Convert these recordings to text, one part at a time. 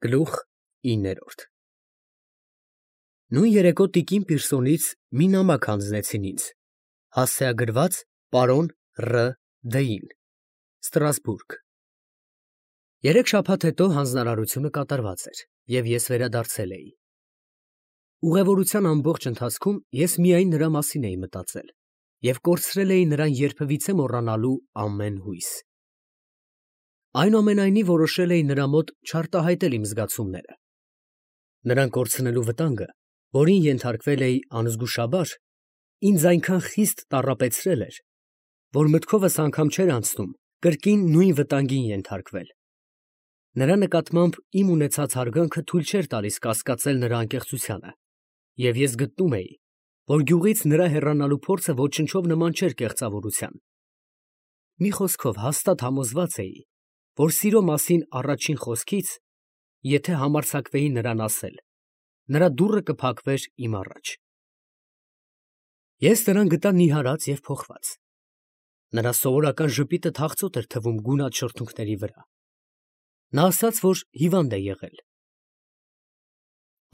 Գլուխ 9 Նույն երեկո տիկին Պիրսոնից մի նամակ հանձնեցին ինձ, հասցեագրված պարոն Ռ. Դ-ին, Ստրասբուրգ։ 3 շաբաթ հետո հանձնարարությունը կատարված էր, և ես վերադարձել էի։ Ուղևորության ամբողջ ընթացքում ես միայն նրա մասին էի մտածել և կորցրել էի նրան երբևիցե մոռանալու ամեն հույս։ Այնուամենայնիվ որոշել էի նրա մոտ չարտահայտել իմ զգացումները։ Նրան կորցնելու վտանգը, որին ենթարկվել էի անզգուշաբար, ինձ այնքան խիստ տառապեցրել էր, որ մտքովս անգամ չէր անցնում կրկին նույն վտանգին ենթարկվել։ Նրա նկատմամբ իմ ունեցած հարգանքը թույլ չէր տալիս կասկածել նրա անկեղծությանը, և ես գտնում էի, որ գյուղից նրա հեռանալու փորձը ոչնչով նման չէր կեղծավորության։ Մի խոսքով հաստատ համոզված էի, որ սիրո մասին առաջին խոսքից, եթե համարձակվեի նրան ասել, նրա դուռը կփակվեր իմ առաջ։ Ես նրան գտա նիհարած և փոխված։ Նրա սովորական ժպիտը թախծոտ էր թվում գունատ շրթունքների վրա։ Նա ասաց, որ հիվանդ է եղել։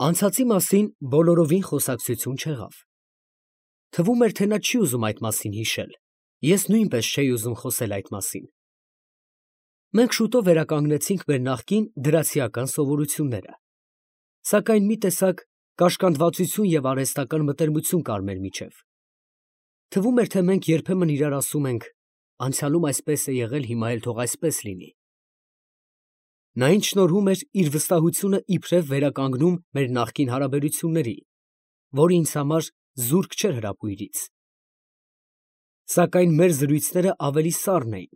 Անցածի մասին բոլորովին խոսակցություն չեղավ։ Թվում էր, թե նա չի ուզում այդ մասին հիշել, ես նույնպես չէի ուզում խոսել այդ մասին։ Մենք շուտով վերականգնեցինք մեր նախկին դրացիական սովորությունները, սակայն մի տեսակ կաշկանդվածություն և արհեստական մտերմություն կար մեր միջև։ Թվում էր, թե մենք երբեմն իրար ասում ենք. «Անցյալում այսպես է եղել, հիմա էլ թող այսպես լինի»։ Նա ինձ շնորհում էր իր վստահությունը իբրև վերականգնում մեր նախկին հարաբերությունների, որը ինձ համար զուրկ չէր հրապույրից։ Սակայն մեր զրույցները ավելի սառն էին,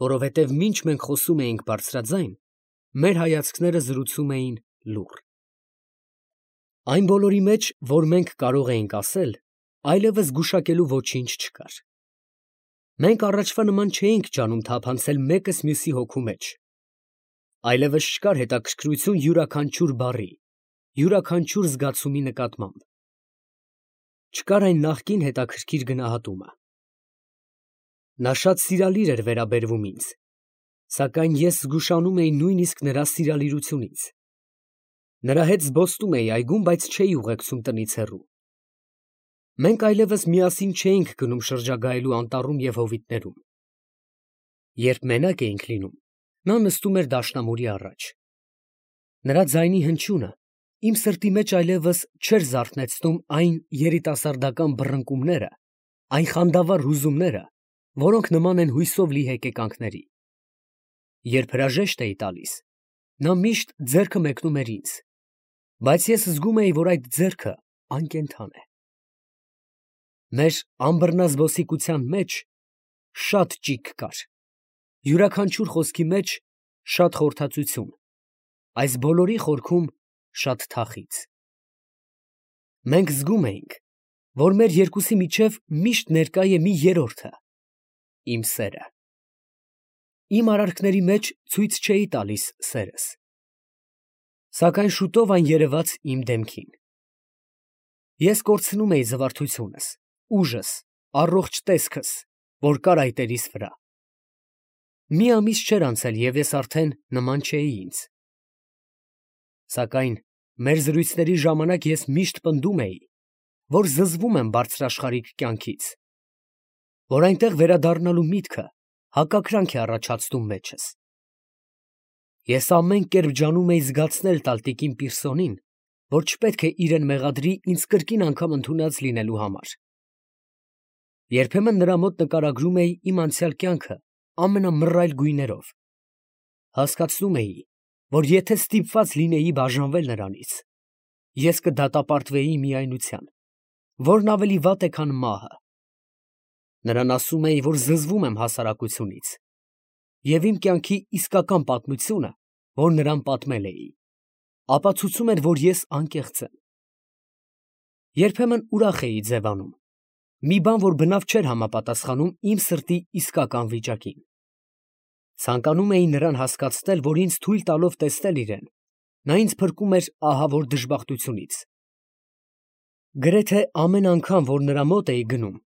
որովհետև մինչ մենք խոսում էինք բարձրաձայն, մեր հայացքները զրուցում էին լուռ։ Այն բոլորի մեջ, որ մենք կարող էինք ասել, այլևս գուշակելու ոչինչ չկար։ Մենք առաջվա նման չէինք ջանում թափանցել մեկս մյուսի հոգու մեջ։ Այլևս չկար հետաքրքրություն յուրաքանչյուր բառի, յուրաքանչյուր զգացումի նկատմամբ։ Չկար այն նախկին հետաքրքիր գնահատումը։ Նա շատ սիրալիր էր վերաբերվում ինձ, սակայն ես զգուշանում էի նույնիսկ նրա սիրալիրությունից։ Նրա հետ զբոսնում էի այգում, բայց չէի ուղեկցում տնից հեռու։ Մենք այլևս միասին չէինք գնում շրջագայելու անտառում և հովիտներում։ Երբ մենակ էինք լինում, նա նստում էր դաշնամուրի առաջ։ Նրա ձայնի հնչյունը իմ սրտի մեջ այլևս չէր զարթնեցնում այն երիտասարդական բռնկումները, այն խանդավառ հուզումները, որոնք նման են հույսով լի հեկեկանքների։ Երբ հրաժեշտ էի տալիս, նա միշտ ձեռքը մեկնում էր ինձ, բայց ես զգում էի, որ այդ ձեռքը անկենդան է։ Մեր անբռնազբոսիկության մեջ շատ ճիգ կար, յուրաքանչյուր խոսքի մեջ շատ խորհրդածություն, այս բոլորի խորքում շատ թախիծ։ Մենք զգում էինք, որ մեր երկուսի միջև միշտ ներկա է մի երրորդը՝ իմ սերը։ Իմ արարքների մեջ ցույց չէի տալիս սերս, սակայն շուտով այն երևաց իմ դեմքին։ Ես կորցնում էի զվարթությունս, ուժս, առողջ տեսքս, որ կար այտերիս վրա։ Մի ամիս չէր անցել, և ես արդեն նման չէի ինձ։ Սակայն մեր զրույցների ժամանակ ես միշտ պնդում էի, որ զզվում եմ բարձրաշխարհիկ կյանքից, որ այնտեղ վերադառնալու միտքը հակակրանք է առաջացնում մեջս։ Ես ամեն կերպ ջանում էի զգացնել տալ տիկին Պիրսոնին, որ չպետք է իրեն մեղադրի ինձ կրկին անգամ ընդունած լինելու համար։ Երբեմն նրա մոտ նկարագրում էի իմ անցյալ կյանքը ամենամռայլ գույներով։ Հասկացնում էի, որ եթե ստիպված լինեի բաժանվել նրանից, ես կդատապարտվեի միայնության, որն ավելի վատ է, քան մահը։ Նրան ասում էի, որ զզվում եմ հասարակությունից, և իմ կյանքի իսկական պատմությունը, որ նրան պատմել էի, ապացուցում էր, որ ես անկեղծ եմ։ Երբեմն ուրախ էի ձևանում, մի բան, որ բնավ չէր համապատասխանում իմ սրտի իսկական վիճակին։ Ցանկանում էի նրան հասկացնել, որ ինձ թույլ տալով տեսնել իրեն, նա ինձ փրկում էր ահավոր դժբախտությունից։ Գրեթե ամեն անգամ, որ նրա մոտ էի գնում,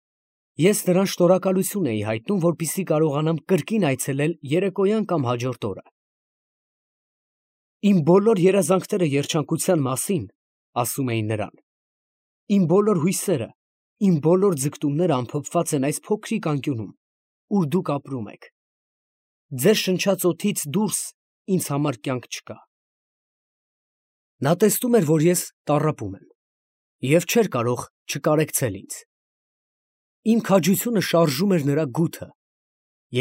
ես նրան շնորհակալություն էի հայտնում, որպեսզի կարողանամ կրկին այցելել երեկոյան կամ հաջորդ օրը։ Իմ բոլոր երազանքները երջանկության մասին, ասում էին նրան, իմ բոլոր հույսերը, իմ բոլոր ձգտումները ամփոփված են այս փոքրիկ անկյունում, ուր դուք ապրում եք։ Ձեր շնչած օդից դուրս ինձ համար կյանք չկա։ Նա տեսնում էր, որ ես տառապում եմ, և չէր կարող չկարեկցել ինձ։ Իմ քաջությունը շարժում էր նրա գութը,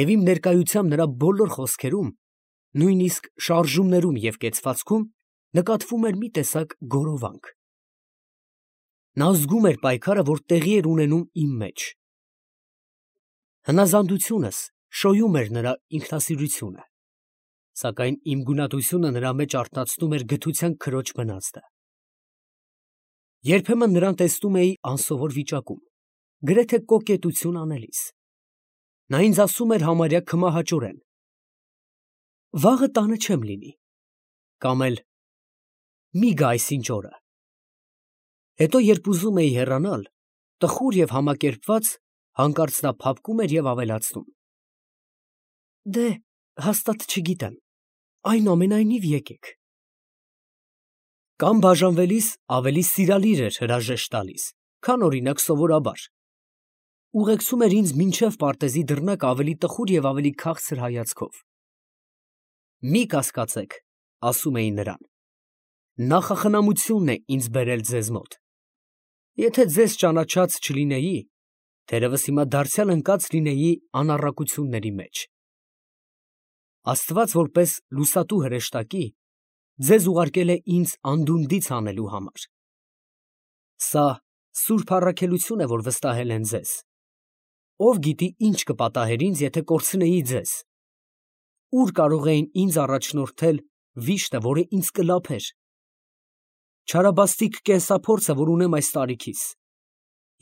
և իմ ներկայությամբ նրա բոլոր խոսքերում, նույնիսկ շարժումներում և կեցվածքում նկատվում էր մի տեսակ գորովանք։ Նա զգում էր պայքարը, որ տեղի էր ունենում իմ մեջ։ Հնազանդությունս շոյում էր նրա ինքնասիրությունը, սակայն իմ գունատությունը նրա մեջ արթնացնում էր գթության քրոջ բնածը։ Երբեմն նրան տեսնում էի անսովոր վիճակում, գրեթե կոկետություն անելիս։ Նա ինձ ասում էր համարյա քմահաճորեն. «Վաղը տանը չեմ լինի», կամ էլ «Մի գա այսինչ օրը»։ Հետո, երբ ուզում էի հեռանալ, տխուր և համակերպված, հանկարծ նա փափկում էր և ավելացնում. «Դե, հաստատ չգիտեմ, այնուամենայնիվ եկեք»։ Կամ բաժանվելիս ավելի սիրալիր էր հրաժեշտ տալիս, քան օրինակ սովորաբար։ Ուղեկցում էր ինձ մինչև պարտեզի դռնակ ավելի տխուր և ավելի քաղցր հայացքով։ «Մի կասկածեք», ասում էի նրան, «նախախնամությունն է ինձ բերել ձեզ մոտ։ Եթե ձեզ ճանաչած չլինեի, թերևս հիմա դարձյալ ընկած լինեի անառակությունների մեջ։ Աստված որպես լուսատու հրեշտակի ձեզ ուղարկել է ինձ անդունդից հանելու համար։ Սա սուրբ առաքելություն է, որ վստահել են ձեզ։ Ով գիտի, ինչ կպատահեր ինձ, եթե կորցնեի ձեզ։ Ուր կարող էին ինձ առաջնորդել վիշտը, որը ինձ կլափեր։ Չարաբաստիկ կենսափորձը, որ ունեմ այս տարիքիս,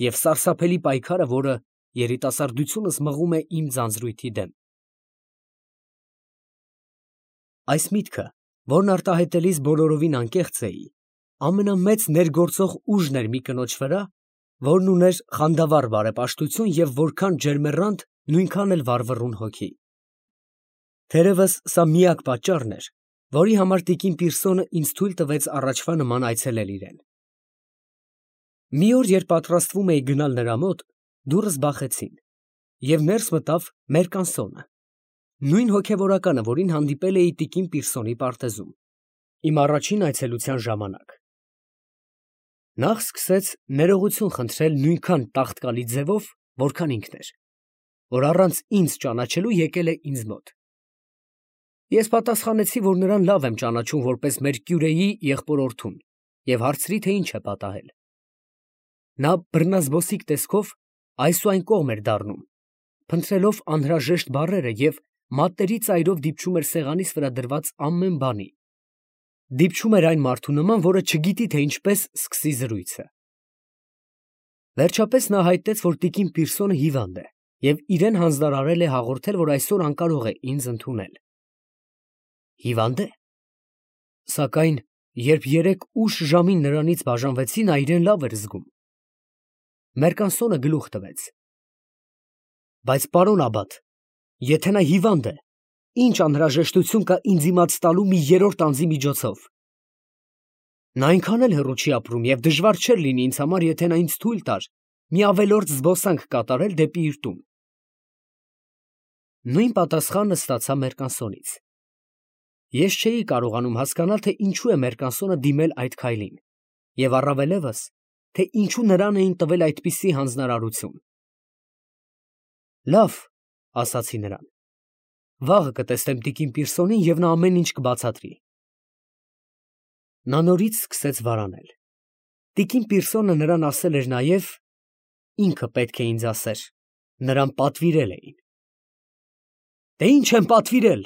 և սարսափելի պայքարը, որը երիտասարդությունս մղում է իմ ձանձրույթի դեմ։ Այս միտքը, որն արտահայտելիս բոլորովին անկեղծ էի, ամենամեծ ներգործող ուժն էր մի կնոջ վրա, որն ուներ խանդավառ բարեպաշտություն և որքան ջերմեռանդ, նույնքան էլ վառվռուն հոգի։ Թերևս սա միակ պատճառն էր, որի համար տիկին Պիրսոնը ինձ թույլ տվեց առաջվա նման այցելել իրեն։ Մի օր, երբ պատրաստվում էի գնալ նրա մոտ, դուռս բախեցին, և ներս մտավ Մերկանսոնը, նույն հոգևորականը, որին հանդիպել էի տիկին Պիրսոնի պարտեզում, իմ առաջին այցելության ժամանակ։ Նախ սկսեց ներողություն խնդրել նույնքան տաղտկալի ձևով, որքան ինքն էր, որ առանց ինձ ճանաչելու եկել է ինձ մոտ։ Ես պատասխանեցի, որ նրան լավ եմ ճանաչում որպես մեր կյուրեի եղբորորդուն և հարցրի, թե ինչ է պատահել։ Նա բռնազբոսիկ տեսքով այս ու այն կողմ էր դառնում, փնտրելով անհրաժեշտ բառերը և մատների ծայրով դիպչում էր սեղանիս վրա դրված ամեն բանի։ Դիպչում էր այն մարդու նման, որը չգիտի, թե ինչպես սկսի զրույցը։ Վերջապես նա հայտնեց, որ տիկին Պիրսոնը հիվանդ է և իրեն հանձնարարել է հաղորդել, որ այսօր անկարող է ինձ ընդունել։ Հիվա՞նդ է։ Սակայն, երբ երեկ ուշ ժամին նրանից բաժանվեցի, նա իրեն լավ էր զգում։ Մերկանսոնը գլուխ տվեց. Բայց, պարոն Աբբատ, եթե նա հիվանդ է, ինչ անհրաժեշտություն կա ինձ իմաց տալու մի երրորդ անձի միջոցով։ Նա այնքան էլ հեռու չի ապրում և դժվար չէր լինի ինձ համար, եթե նա ինձ թույլ տար մի ավելորդ զբոսանք կատարել դեպի իր տուն։ Նույն պատասխանը ստացա Մերկանսոնից։ Ես չէի կարողանում հասկանալ, թե ինչու է Մերկանսոնը դիմել այդ քայլին, և առավելևս, թե ինչու նրան էին տվել այդպիսի հանձնարարություն։ Լավ, ասացի նրան, վաղը կտեսնեմ տիկին Պիրսոնին և նա ամեն ինչ կբացատրի։ Նա նորից սկսեց վարանել։ Տիկին Պիրսոնը նրան ասել էր նաև, ինքը պետք է ինձ ասեր, նրան պատվիրել էին։ Դե ինչ եմ պատվիրել,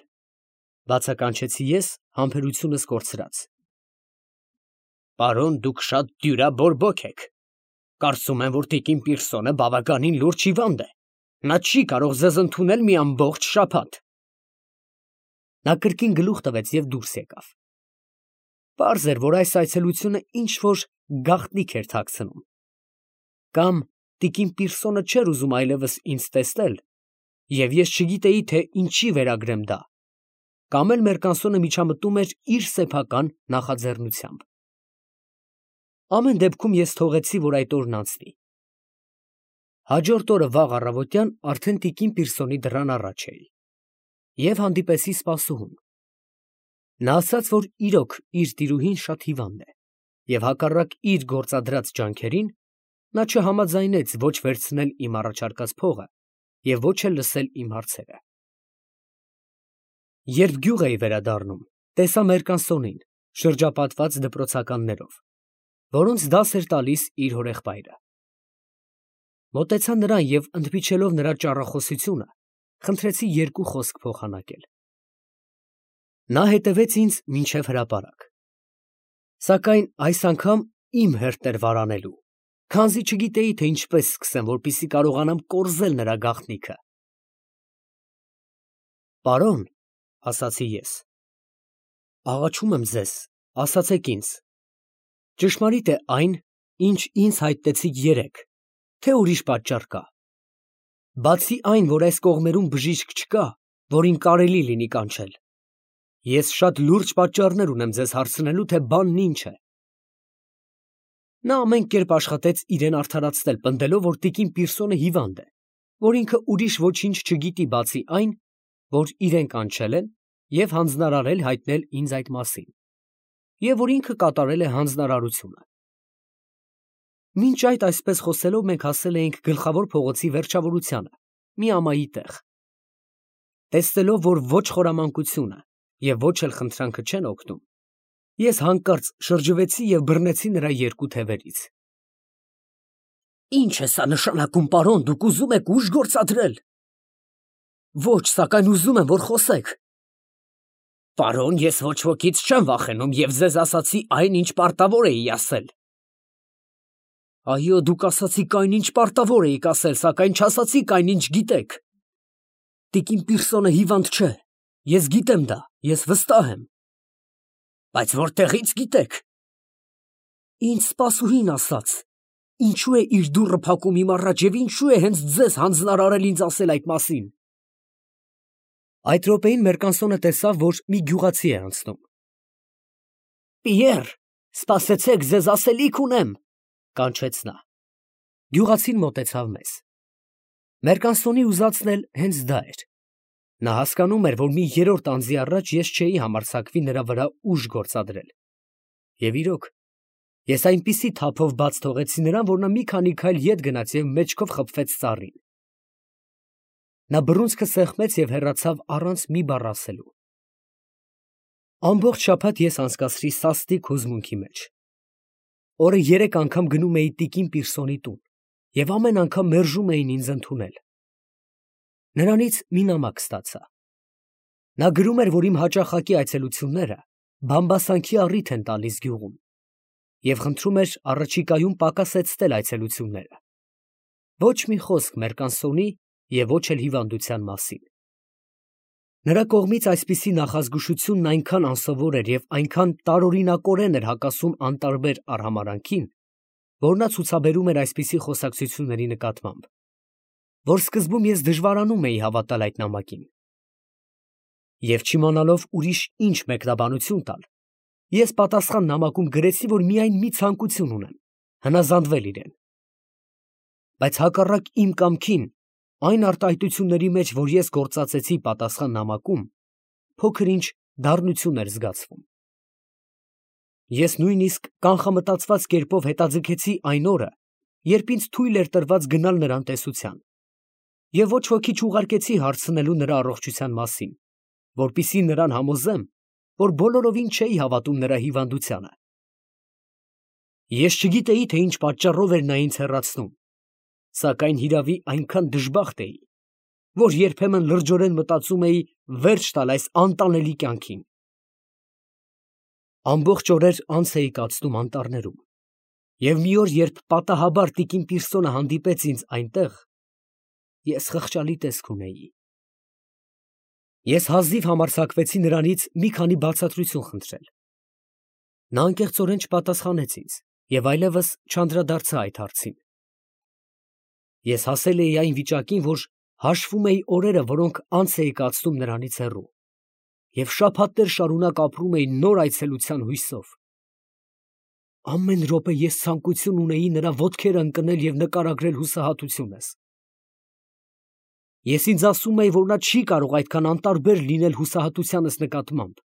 բացականչեցի ես համբերությունս կորցրած։ Պարոն, դուք շատ դյուրաբորբոք եք։ Կարծում եմ, որ տիկին Պիրսոնը բավականին լուրջ հիվանդ է։ Նա չի կարող ձեզ ընդունել մի ամբողջ շաբաթ։ Նա կրկին գլուխ տվեց և դուրս եկավ։ Պարզ էր, որ այս այցելությունը ինչ-որ գաղտնիք էր թաքցնում։ Կամ տիկին Պիրսոնը չէր ուզում այլևս ինձ տեսնել, և ես չգիտեի, թե ինչի վերագրեմ դա։ կամ էլ Մերկանսոնը միջամտում էր իր սեփական նախաձեռնությամբ։ Ամեն դեպքում ես թողեցի, որ այդ օրն անցնի։ Հաջորդ օրը վաղ առավոտյան արդեն տիկին Պիրսոնի դռան առաջ էի և հանդիպեցի սպասուհուն։ Նա ասաց, որ իրոք իր տիրուհին շատ հիվանդ է և հակառակ իր գործադրած ջանքերին նա չհամաձայնեց ոչ վերցնել իմ առաջարկած փողը և ոչ էլ լսել իմ հարցերը։ Երբ գյուղ էի վերադառնում, տեսա Մերկանսոնին շրջապատված դպրոցականներով, որոնց դաս էր տալիս իր հորեղբայրը։ Մոտեցա նրան և ընդմիջելով նրա ճառախոսությունը, խնդրեցի երկու խոսք փոխանակել։ Նա հետևեց ինձ մինչև հրապարակ, սակայն այս անգամ իմ հերթն էր վարանելու, քանզի չգիտեի, թե ինչպես սկսեմ, որպեսզի կարողանամ կորզել նրա գաղտնիքը։ «Պարոն», ասացի ես, «աղաչում եմ ձեզ, ասացեք ինձ, ճշմարիտ է այն, ինչ ինձ հայտնեցիք երեկ, թե ուրիշ պատճառ կա։ Բացի այն, որ այս կողմերում բժիշկ չկա, որին կարելի լինի կանչել, ես շատ լուրջ պատճառներ ունեմ ձեզ հարցնելու, թե բանն ինչ է»։ Նա ամեն կերպ աշխատեց իրեն արդարացնել, պնդելով, որ տիկին Պիրսոնը հիվանդ է, որ ինքը ուրիշ ոչինչ չգիտի, բացի այն, որ իրեն կանչել են և հանձնարարել հայտնել ինձ այդ մասին, և որ ինքը կատարել է հանձնարարությունը։ Մինչ այդ այսպես խոսելով մենք հասել էինք Գլխավոր փողոցի վերջավորությանը, մի ամայի տեղ։ Տեսնելով, որ ոչ խորամանկությունը և ոչ էլ խնդրանքը չեն օգնում, ես հանկարծ շրջվեցի և բռնեցի նրա երկու թևերից։ «Ի՞նչ է սա նշանակում, պարոն, դուք ուզում եք ուժ գործադրել»։ «Ոչ, սակայն ուզում եմ, որ խոսեք»։ «Պարոն, ես ոչ ոքից չեմ վախենում և ձեզ ասացի այն, ինչ պարտավոր էի ասել»։ «Այո, դուք ասացիք այն, ինչ պարտավոր էիք ասել, սակայն չասացիք այն, ինչ գիտեք։ Տիկին Պիրսոնը հիվանդ չէ, ես գիտեմ դա, ես վստահ եմ»։ «Բայց որտեղի՞ց գիտեք»։ «Ինձ սպասուհին ասաց։ Ինչու է իր դուռը փակում իմ առաջ և ինչու է հենց ձեզ հանձնարարել ինձ ասել այդ մասին»։ Այդ րոպեին Մերկանսոնը տեսավ, որ մի գյուղացի է անցնում։ «Պիեռ, սպասեցեք, ձեզ ասելիք ունեմ», կանչեց նա։ Գյուղացին մոտեցավ մեզ։ Մերկանսոնի ուզածն էլ հենց դա էր։ Նա հասկանում էր, որ մի երրորդ անձի առաջ ես չէի համարձակվի նրա վրա ուժ գործադրել։ Եվ իրոք, ես այնպիսի թափով բաց թողեցի նրան, որ նա մի քանի քայլ ետ գնաց և մեջքով խփվեց ծառին։ Նա բռունցքը սեղմեց և հեռացավ առանց մի բառ ասելու։ Ամբողջ շաբաթ ես անցկացրի սաստիկ հուզմունքի մեջ։ Օրը 3 անգամ գնում էի տիկին Պիրսոնի տուն և ամեն անգամ մերժում էին ինձ ընդունել։ Նրանից մի նամակ ստացա։ Նա գրում էր, որ իմ հաճախակի այցելությունները բամբասանքի առիթ են տալիս գյուղում և խնդրում էր առաջիկայում պակասեցնել այցելությունները։ Ոչ մի խոսք Մերկանսոնի և ոչ էլ հիվանդության մասին։ Նրա կողմից այսպիսի նախազգուշությունն այնքան անսովոր էր և այնքան տարօրինակորեն էր հակասում անտարբեր արհամարհանքին, որ նա ցուցաբերում էր այսպիսի խոսակցությունների նկատմամբ, որ սկզբում ես դժվարանում էի հավատալ այդ նամակին։ Եվ չիմանալով ուրիշ ինչ մեկնաբանություն տալ, ես պատասխան նամակում գրեցի, որ միայն մի ցանկություն ունեմ՝ հնազանդվել իրեն։ Բայց հակառակ իմ կամքին, այն արտահայտությունների մեջ, որ ես գործածեցի պատասխան նամակում, փոքր-ինչ դառնություն էր զգացվում։ Ես նույնիսկ կանխամտածված կերպով հետաձգեցի այն օրը, երբ ինձ թույլ էր տրված գնալ նրան տեսության, և ոչ ոքի չուղարկեցի հարցնելու նրա առողջության մասին, որպեսզի նրան համոզեմ, որ բոլորովին չէի հավատում նրա հիվանդությանը։ Ես չգիտեի, թե ինչ պատճառով էր նա ինձ հեռացնում, սակայն հիրավի այնքան դժբախտ էի, որ երբեմն լրջորեն մտածում էի վերջ տալ այս անտանելի կյանքին։ Ամբողջ օրեր անց էի կացնում անտառներում, և մի օր, երբ պատահաբար տիկին Պիրսոնը հանդիպեց ինձ այնտեղ, ես խղճալի տեսք ունեի։ Ես հազիվ համարձակվեցի նրանից մի քանի բացատրություն խնդրել։ Նա անկեղծորեն չպատասխանեց ինձ և այլևս չանդրադարձա այդ հարցին։ Ես հասել էի այն վիճակին, որ հաշվում էի օրերը, որոնք անց էի կացնում նրանից հեռու, և շաբաթներ շարունակ ապրում էի նոր այցելության հույսով։ Ամեն րոպե ես ցանկություն ունեի նրա ոտքերը ընկնել և նկարագրել հուսահատությունս։ Ես ինձ ասում էի, որ նա չի կարող այդքան անտարբեր լինել հուսահատությանս նկատմամբ,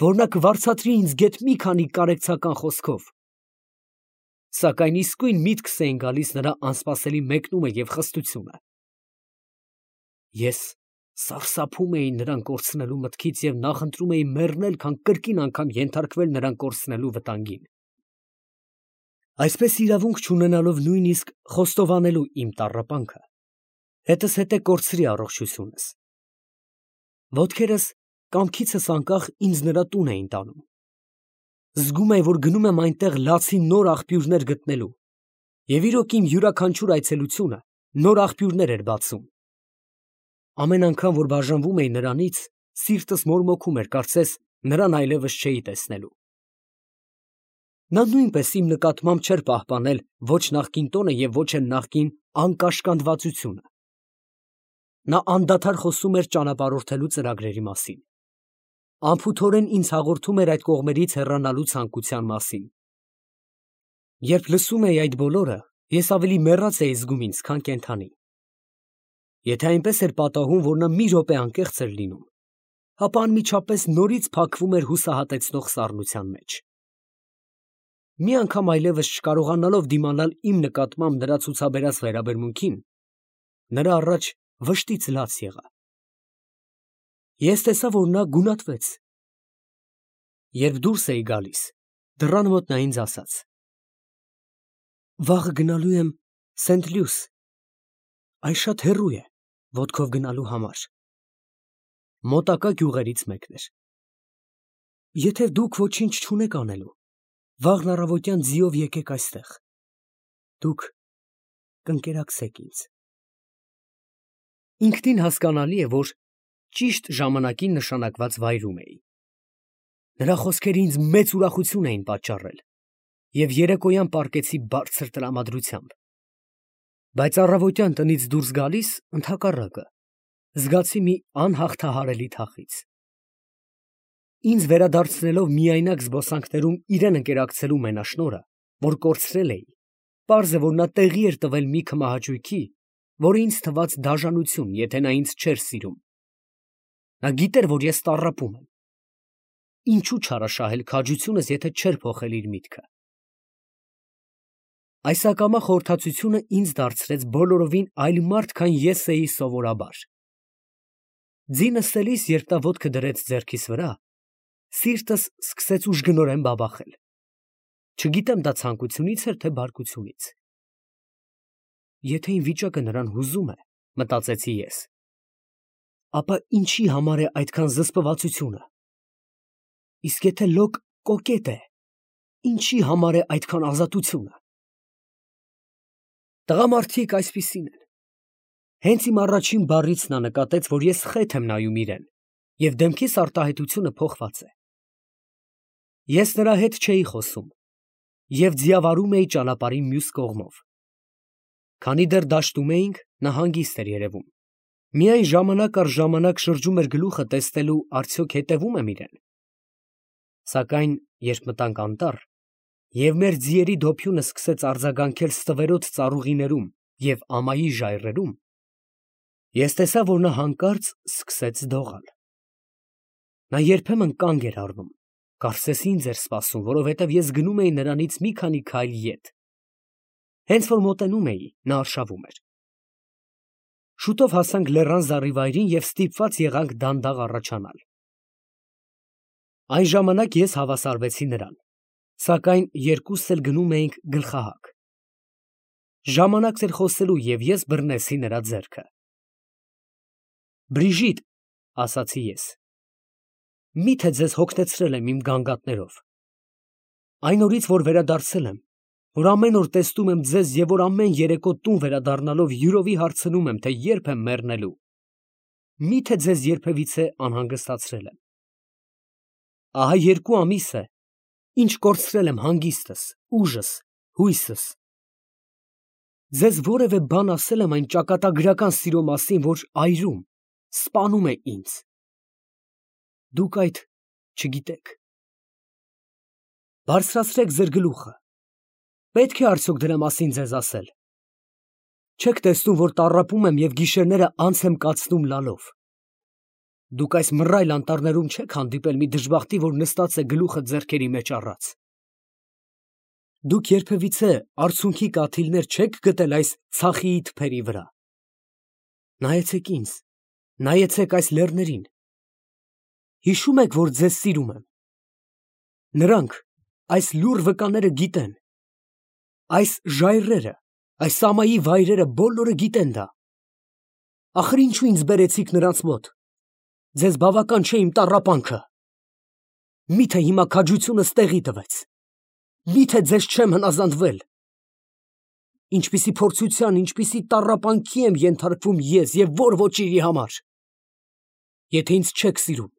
որ նա կվարձատրի ինձ գեթ մի քանի կարեկցական խոսքով, սակայն իսկույն միտքս էին գալիս նրա անսպասելի մեկնումը և խստությունը։ Ես սարսափում էի նրան կորցնելու մտքից և նախընտրում էի մեռնել, քան կրկին անգամ ենթարկվել նրան կորցնելու վտանգին, այսպես իրավունք չունենալով նույնիսկ խոստովանելու իմ տառապանքը, հետզհետե կորցրի առողջությունս։ Ոտքերս կամքիցս անկախ ինձ նրա տուն էին տանում։ Զգում էի, որ գնում եմ այնտեղ լացի նոր աղբյուրներ գտնելու, և իրոք իմ յուրաքանչյուր այցելությունը նոր աղբյուրներ էր բացում։ Ամեն անգամ, որ բաժանվում էի նրանից, սիրտս մորմոքում էր, կարծես նրան այլևս չէի տեսնելու։ Նա նույնպես իմ նկատմամբ չէր պահպանել ոչ նախկին տոնը և ոչ էլ նախկին անկաշկանդվածությունը։ Նա անդադար խոսում էր ճանապարհորդելու ծրագրերի մասին, անփութորեն ինձ հաղորդում էր այդ կողմերից հեռանալու ցանկության մասին։ Երբ լսում էի այդ բոլորը, ես ավելի մեռած էի զգում ինձ, քան կենդանի։ Եթե այնպես էր պատահում, որ նա մի րոպե անկեղծ էր լինում, ապա անմիջապես նորից փակվում էր հուսահատեցնող սառնության մեջ։ Մի անգամ այլևս չկարողանալով դիմանալ իմ նկատմամբ նրա ցուցաբերած վերաբերմունքին, նրա առաջ վշտից լաց եղա։ Ես տեսա, որ նա գունատվեց։ Երբ դուրս էի գալիս, դռան մոտ նա ինձ ասաց. «Վաղը գնալու եմ Սենտ Լյուս, այն շատ հեռու է ոտքով գնալու համար»։ Մոտակա գյուղերից մեկն էր։ Եթե դուք ոչինչ չունեք անելու, վաղն առավոտյան ձիով եկեք այստեղ, դուք կընկերակցեք ինձ։ Ինքնին հասկանալի է, որ ճիշտ ժամանակին նշանակված վայրում էի։ Նրա խոսքերը ինձ մեծ ուրախություն էին պատճառել, և երեկոյան պառկեցի բարձր տրամադրությամբ։ Բայց առավոտյան տնից դուրս գալիս, ընդհակառակը, զգացի մի անհաղթահարելի թախիծ։ Ինձ վերադարձնելով միայնակ զբոսանքներում իրեն ընկերակցելու մենաշնորհը, որ կորցրել էի, պարզ է, որ նա տեղի էր տվել մի քմահաճույքի, որը ինձ թվաց դաժանություն, եթե նա ինձ չէր սիրում։ Նա գիտեր, որ ես տառապում եմ։ Ինչու չարաշահել քաջությունս, եթե չէր փոխել իր միտքը։ Այս ակամա խորհրդածությունը ինձ դարձրեց բոլորովին այլ մարդ, քան ես էի սովորաբար։ Ձինը ստելիս, երբ նա ոտքը դրեց ձեռքիս վրա, սիրտս սկսեց ուժգնորեն բաբախել։ Չգիտեմ դա ցանկությունից էր, թե բարկությունից։ Եթե իմ վիճակը նրան հուզում է, մտածեցի ես, ապա ինչի համար է այդքան զսպվածությունը։ Իսկ եթե լոկ կոկետ է, ինչի համար է այդքան ազատությունը։ Տղամարդիկ այսպիսին են։ Հենց իմ առաջին բառից նա նկատեց, որ ես խեթ եմ նայում իրեն, և դեմքիս արտահայտությունը փոխված է։ Ես նրա հետ չէի խոսում և ձիավարում էի ճանապարհի մյուս կողմով։ Քանի դեռ դաշտում էինք, նա հանգիստ էր երևում, միայն ժամանակ առ ժամանակ շրջում էր գլուխը տեսնելու արդյոք հետևում եմ իրեն։ Սակայն երբ մտանք անտառ, և մեր ձիերի դոփյունը սկսեց արձագանքել ստվերոտ ծառուղիներում և ամայի ժայռերում, ես տեսա, որ նա հանկարծ սկսեց դողալ։ Նա երբեմն կանգ էր առնում, կարծես ինձ էր սպասում, որովհետև ես գնում էի նրանից մի քանի քայլ ետ։ Հենց որ մոտենում էի, նա արշավում էր։ Շուտով հասանք լեռան զառիվայրին և ստիպված եղանք դանդաղ առաջանալ։ Այն ժամանակ ես հավասարվեցի նրան, սակայն երկուսս էլ գնում էինք գլխահակ։ Ժամանակ էր խոսելու, և ես բռնեցի նրա ձեռքը։ «Բրիժիտ», ֊ ասացի ես, ֊ մի՞թե ձեզ հոգնեցրել եմ իմ գանգատներով։ Այն օրից, որ վերադարձել եմ, որ ամեն օր տեսնում եմ ձեզ և որ ամեն երեկո տուն վերադառնալով յուրովի հարցնում եմ, թե երբ եմ մեռնելու, մի՞թե ձեզ երբևիցե անհանգստացրել եմ։ Ահա 2 ամիս է, ինչ կորցրել եմ հանգիստս, ուժս, հույսս։ Ձեզ որևէ բան ասել եմ այն ճակատագրական սիրո մասին, որ այրում, սպանում է ինձ։ Դուք այդ չգիտեք։ Բարձրացրեք ձեր գլուխը։ Պետք է արդյոք դրա մասին ձեզ ասել։ Չեք տեսնում, որ տառապում եմ և գիշերները անց եմ կացնում լալով։ Դուք այս մռայլ անտառներում չեք հանդիպել մի դժբախտի, որ նստած է գլուխը ձեռքերի մեջ առած։ Դուք երբևիցե արցունքի կաթիլներ չեք գտել այս ցախիի թփերի վրա։ Նայեցեք ինձ, նայեցեք այս լեռներին։ Հիշում եք, որ ձեզ սիրում եմ։ Նրանք, այս լուռ վկաները գիտեն։ Այս ժայռերը, այս ամայի վայրերը բոլորը գիտեն դա։ Ախր ինչու ինձ բերեցիք նրանց մոտ։ Ձեզ բավական չէ իմ տառապանքը։ Միթե հիմա քաջությունս տեղի տվեց։ Միթե ձեզ չեմ հնազանդվել։ Ինչպիսի փորձության, ինչպիսի տառապանքի եմ ենթարկվում ես և որ ոչինչի համար։ Եթե ինձ չեք սիրում,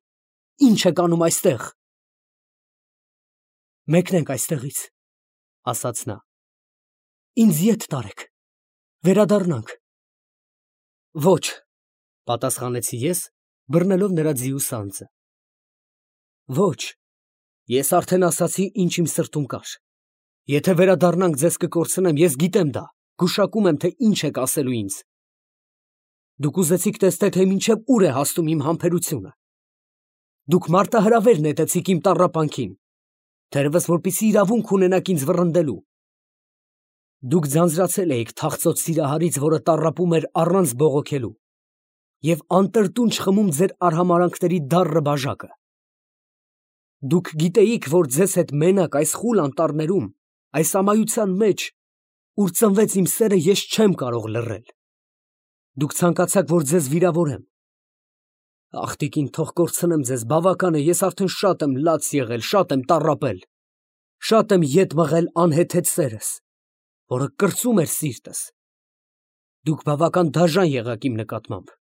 ինչ եք անում այստեղ։ Մեկնենք այստեղից, ասաց նա։ Ինձ ետ տարեք, վերադառնանք։ Ոչ, պատասխանեցի ես, բռնելով նրա ձիու սանձը։ Ոչ, ես արդեն ասացի, ինչ իմ սրտում կար։ Եթե վերադառնանք ձեզ կկորցնեմ, ես գիտեմ դա, գուշակում եմ, թե ինչ եք ասելու ինձ։ Դուք ուզեցիք տեսնել, թե մինչև ուր է հասնում իմ համբերությունը։ Դուք մարտահրավեր նետեցիք իմ տառապանքին, թերևս որպեսզի իրավունք ունենաք ինձ վռնդելու։ Դուք ձանձրացել էիք թախծոտ սիրահարից, որը տառապում էր առանց բողոքելու, և անտրտունջ խմում ձեր արհամարհանքների դառը բաժակը։ Դուք գիտեիք, որ ձեզ հետ մենակ այս խուլ անտառներում, այս ամայության մեջ, ուր ծնվեց իմ սերը, ես չեմ կարող լռել։ Դուք ցանկացաք, որ ձեզ վիրավորեմ։ Ախ, տիկին, թող կորցնեմ ձեզ, բավական է, ես արդեն շատ եմ լաց եղել, շատ եմ տառապել, շատ եմ ետ մղել անհեթեթ սերս, որը կրծում էր սիրտս։ Դուք բավական դաժան եղաք իմ նկատմամբ։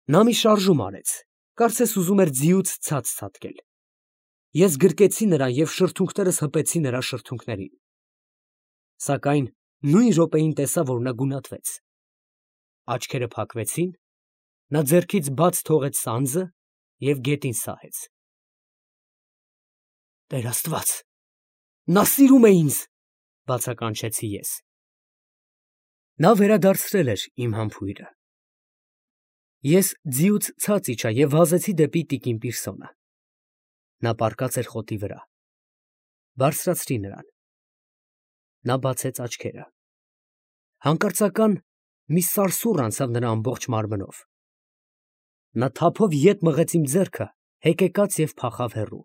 Նա մի շարժում արեց, կարծես ուզում էր ձիուց ցած ցատկել։ Ես գրկեցի նրան և շրթունքներս հպեցի նրա շրթունքներին։ Սակայն նույն րոպեին տեսա, որ նա գունատվեց։ Աչքերը փակվեցին, նա ձեռքից բաց թողեց սանձը և գետին սահեց։ Տեր Աստված, նա սիրում է ինձ, բացականչեցի ես։ Նա վերադարձրել էր իմ համբույրը։ Ես ձիուց ցած իջա և վազեցի դեպի տիկին Պիրսոնը։ Նա պառկած էր խոտի վրա։ Բարձրացրի նրան։ Նա բացեց աչքերը։ Հանկարծական մի սարսուռ անցավ նրա ամբողջ մարմնով։ Նա թափով ետ մղեց իմ ձեռքը, հեկեկաց և փախավ հեռու։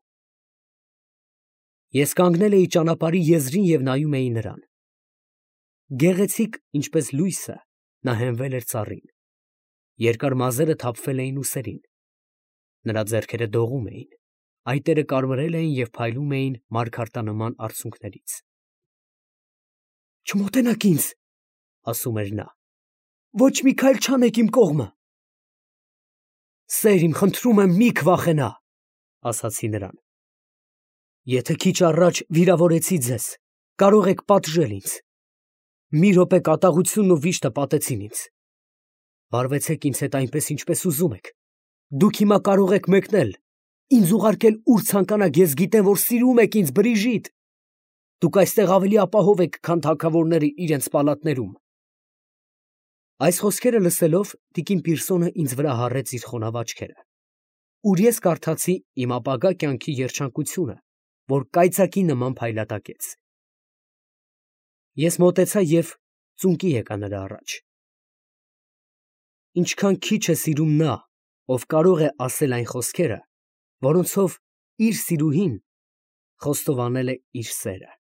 Ես կանգնել էի ճանապարհի եզրին և նայում էի նրան։ Գեղեցիկ, ինչպես լույսը, նա հենվել էր ծառին։ Երկար մազերը թափվել էին ուսերին։ Նրա ձեռքերը դողում էին, այտերը կարմրել էին և փայլում էին մարգարտանման արցունքներից։ Չմոտենաք ինձ, ասում էր նա, ոչ մի քայլ չանեք իմ կողմը։ Սեր իմ, խնդրում եմ, մի քվախենա, ասացի նրան։ Եթե քիչ առաջ վիրավորեցի ձեզ, կարող եք պատժել ինձ։ Մի րոպե կատաղությունն ու վիշտը պատեցին ինձ։ Վարվեցեք ինձ հետ այնպես, ինչպես ուզում եք։ Դուք հիմա կարող եք մեկնել, ինձ ուղարկել ուր ցանկանաք, ես գիտեմ, որ սիրում եք ինձ, Բրիժիտ։ Դուք այստեղ ավելի ապահով եք, քան թագավորները իրենց պալատներում։ Այս խոսքերը լսելով, տիկին Պիրսոնը ինձ վրա հառեց իր խոնավ աչքերը, ուր ես կարդացի իմ ապագա կյանքի երջանկությունը, որ կայծակի նման փայլատակեց։ Ես մոտեցա և ծունկի եկա նրա առաջ։ Ինչքան քիչ է սիրում նա, ով կարող է ասել այն խոսքերը, որոնցով իր սիրուհին խոստովանել է իր սերը։